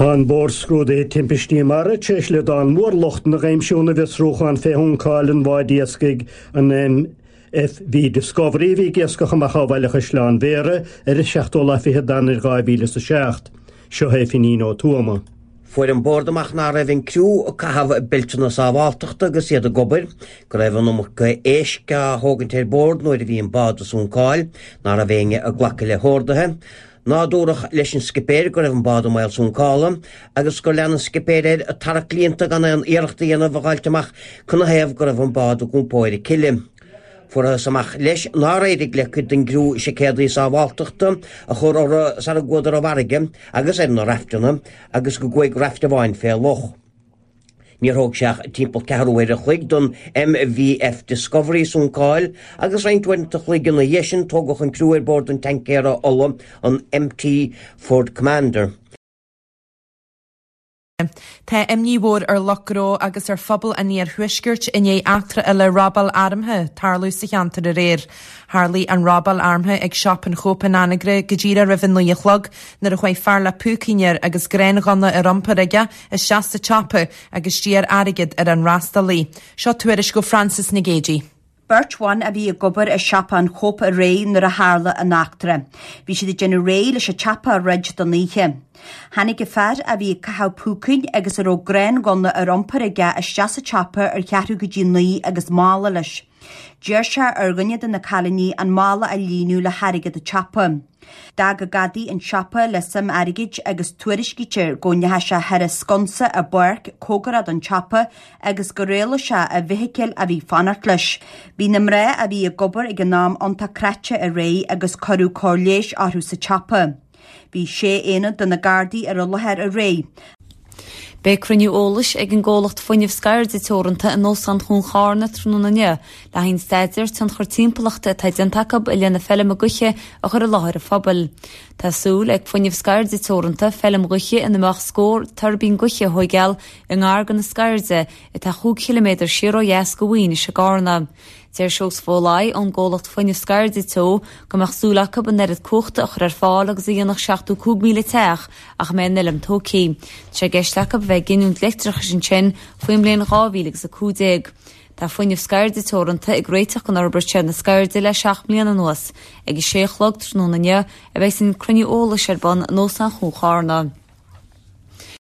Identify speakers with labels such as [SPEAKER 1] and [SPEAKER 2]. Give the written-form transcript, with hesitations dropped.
[SPEAKER 1] Tá an Bord Scrúdaithe Timpistí Mara tar éis liodán mór lochtanna a aimsiú ina bhfiosrúchán fé shuncáil an bháid iascaigh an MFV Discovery a bhí ag iascach amach ó Bhaile Chaisleáin Bhéarra ar an seachtú lá fichead d'Eanáir 2007. Seo é Finín Ó Tuama.
[SPEAKER 2] Fuair an Bord amach ná raibh an criú ag caitheamh beilteanna sábháltachta agus iad ag obair, go raibh an iomarca éisc á thógaint ar bord nuair a bhí an bád ag suncáil, ná raibh éinne ag glacadh le horduithe, ná dúradh leis an scipéir go raibh an bád i mbaol suncála, agus gur lean an scipéir air ag tarrac líonta gan aon iarracht a dhéanamh a dh'fháilt amach canathaobh go raibh an bád ag iompó ar a cille. Fuarthas amach leis nár éirigh le cuid den gcriú seaicéadaí sábháltachta a chur orthu sara gcuadar i bhfarraige agus ar na raifteanna agus go gcuaigh raift amháin fé loch. Níor thóg sé ach timpeall ceathrú uair a chloig don MVF Discovery suncáil agus roinnt uaireanta a chloig ina dhiaidh sin tógadh an criú ar bord an teaincéara ola an MT Ford Commander.
[SPEAKER 3] Tá imní mhór ar lucht gnó agus ar phobal an iarthuaiscirt i ndiaidh eachtra eile robáil armtha tarlú sa cheantar aréir. Tharlaigh an robáil armtha ag Siopa an Chóip in Anagaire go díreach roimh a 9 a chlog nuair a chuaigh fear le púicín air agus gránghunna ar iompar aige isteach sa tsiopa agus d'iarr airgead ar an fhreastalaí. Seo tuairisc ó Frances Nic Géadaigh.
[SPEAKER 4] Beirt bhan a bhí ag obair i siopa an Chóip aréir nuair a tharla an eachtra. Bhí siad ag déanamh réidh leis an tsiopa a dhruid don oíche. Tháinig an fear a bhí ag caitheamh púicín agus a raibh gránghunna ar iompar aige isteach sa tsiopa ar cheathrú go dtí 9 agus mála leis. D'iarr sé ar dhuine de na cailíní an mála a líonadh le hairgead an tsiopa. D'fhág an gadaí an siopa le suim airgid agus tuairiscítear go ndeachaigh sé thar an sconsa i bpáirc cóngarach don tsiopa agus gur éalaigh sé i bhfeithicil a bhí ag fanacht leis. Bhí na mná a bhí ag obair ag an am iontach cráite aréir agus cuireadh cóir leighis orthu sa tsiopa. Bhí sé aonad de na Gardaí ar an láthair aréir.
[SPEAKER 5] Beidh cruinniú eolais ag an gcomhlacht Fuinneamh Scairde Teoranta in Óstán Chuan Charna tráthnóna inniu le haghaidh an staidéar tionchar timpeallachta atá déanta acu i leith na feilme gaoithe a chur i láthair an phobail. Tá súil ag Fuinneamh Scairde Teoranta feilm ghaoithe ina mbeadh scór tuirbín gaoithe a thóigeáil i ngar do na Scairde atá chúig chiliméadar siar ó dheas de Mhaínis i gCarna. Deir Seosamh Ó Laoi ón gcomhlacht Fuinneamh Scairde Teo go mbeadh súil acu an oiread cumhachta a chur ar fáil agus a dhéanfadh 75,000 teach ach a mbeidh an fheilm tógtha. Tá sé i gceist acu a bheith ag giniúint leictreachais ansin faoin mbliain 2015. Tá Fuinneamh Scairde Teoranta ag réiteach don fhorbairt ar na Scairde le 7 mbliana anuas. Ag a sé a chlog tráthnóna inniu a bheidh an cruinniú eolais ar bun in Óstán Chuan Charna.